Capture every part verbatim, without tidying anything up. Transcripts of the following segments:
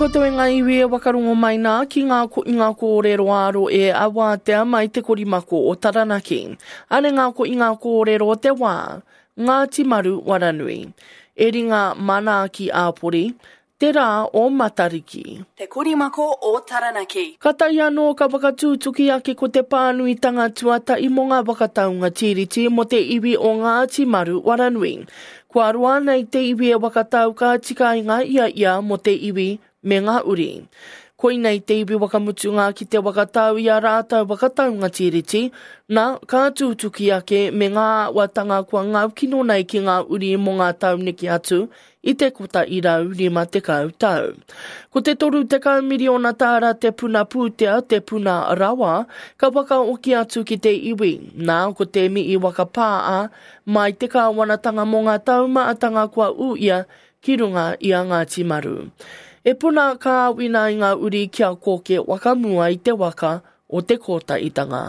koutou e ngā iwi e wakarongo mai nā ki ngā ko i ngā kōrero āro e a wātea mai te korimako o Taranaki. Ane ngā ko i ngā kōrero o te wā, Ngāti Maru Waranui. E ringa manaaki āpori, te rā o Matariki. Te Korimako o Taranaki. Ka tai anō ka whakatūtuki ake ko te pānuitanga tuatahi mō ngā whakataunga tiriti mō te iwi o Ngāti Maru Waranui. Kua roa nei te iwi e whakatau ka tika i ngā ia ia mō te iwi me ngā uri. Koinei te iwi whakamutunga ki te whakatau i a rātou whakataunga tiriti, nā, ka tūtuki ake me ngā āhuatanga kua ngaukino nei ki ngā uri mō ngā tau neke atu i te kota i rau rima tekau tau. Ko te toru tekau miriona tāra te puna pūtea, te puna rawa, ka whakaoki atu ki te iwi. Nā, ko te mihi whakapāa mai te kāwanatanga mō ngā taumaatanga kua ū ia ki runga i a Ngāti Maru. E puna ka awina i ngā uri kia koke wakamua i te waka o te kōtaitanga.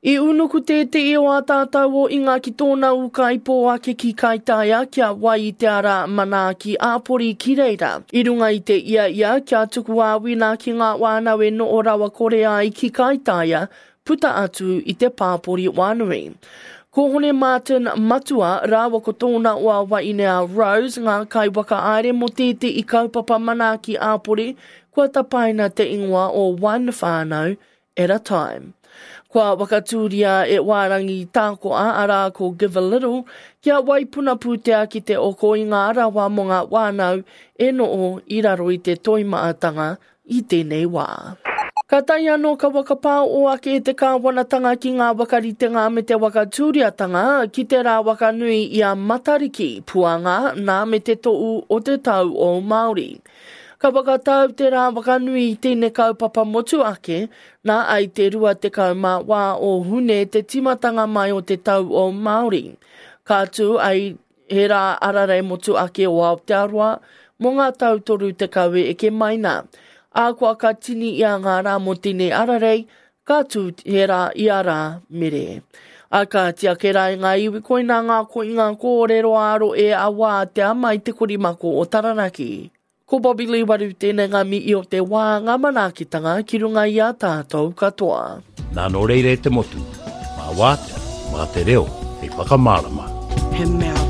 I unuku tētehi o ā tātou o inga ki tōna ūkaipō ake ki Kaitaia kia wai i te ara manaaki āpori ki reira. I runga i te ia ia kia tuku āwina ki ngā wānau e noho rawa kore ai ki Kaitaia puta atu i te pāpori wānui. Ko Hone Martin Matua rāua ko tōna oa waine a Rose ngā kai whakahaere mō tētehi kaupapa manaaki āpori kua tapaina te ingoa o One Whānau at a Time. Kua whakatūria e Wārangi Tākoa arā ko Give a Little kia waipuna pūtea ki te oko i ngā rawa mō ngā wānau e noho i raro i te toimaatanga i tēnei wā. Ka tai anō ka whakapāo ake te kāwanatanga ki ngā whakaritenga me te whakatūriatanga ki te rā wakanui i a Matariki, puanga nā me te to'u o te tau o Māori. Ka whakatau te rā wakanui i tēnei kaupapa motu ake, nā ai te rua tekau mā wā o Hune te timatanga mai o te tau o Māori. Ka tū ai he rā ararei motu ake o Aotearoa mō ngā tau toru tekau e eke mai nā. A kua ka tini i a ngā rā mō tēnei ararei, ka tū he rā i a rā mere. A ka tiake rā i ngā iwi koina ngā ko i ngā kōrero āro e a wātea mai te korimako o Taranaki. Ko Bobby Lee Waru tēnei ngā mihi o te wā ngā manaakitanga ki runga i a tātou katoa. Nā nō reira e te motu, mā wātea, mā te reo, hei whakamārama. He mea